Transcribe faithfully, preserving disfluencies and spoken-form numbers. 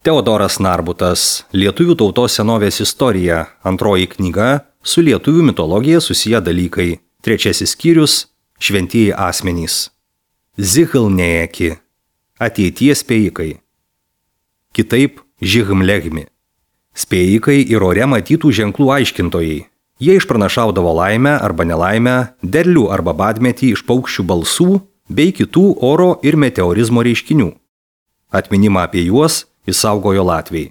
Teodoras Narbutas, Lietuvių tautos senovės istorija, antroji knyga, su lietuvių mitologija susiję dalykai, trečiasis skyrius, šventieji asmenys. Zihilnėjeki, ateities spėjikai. Kitaip Žihimlehmi. Spėjikai ir ore matytų ženklų aiškintojai. Jie išpranašaudavo laimę arba nelaimę, derlių arba badmetį iš paukščių balsų bei kitų oro ir meteorizmo reiškinių. Atminimą apie juos išsaugojo latviai.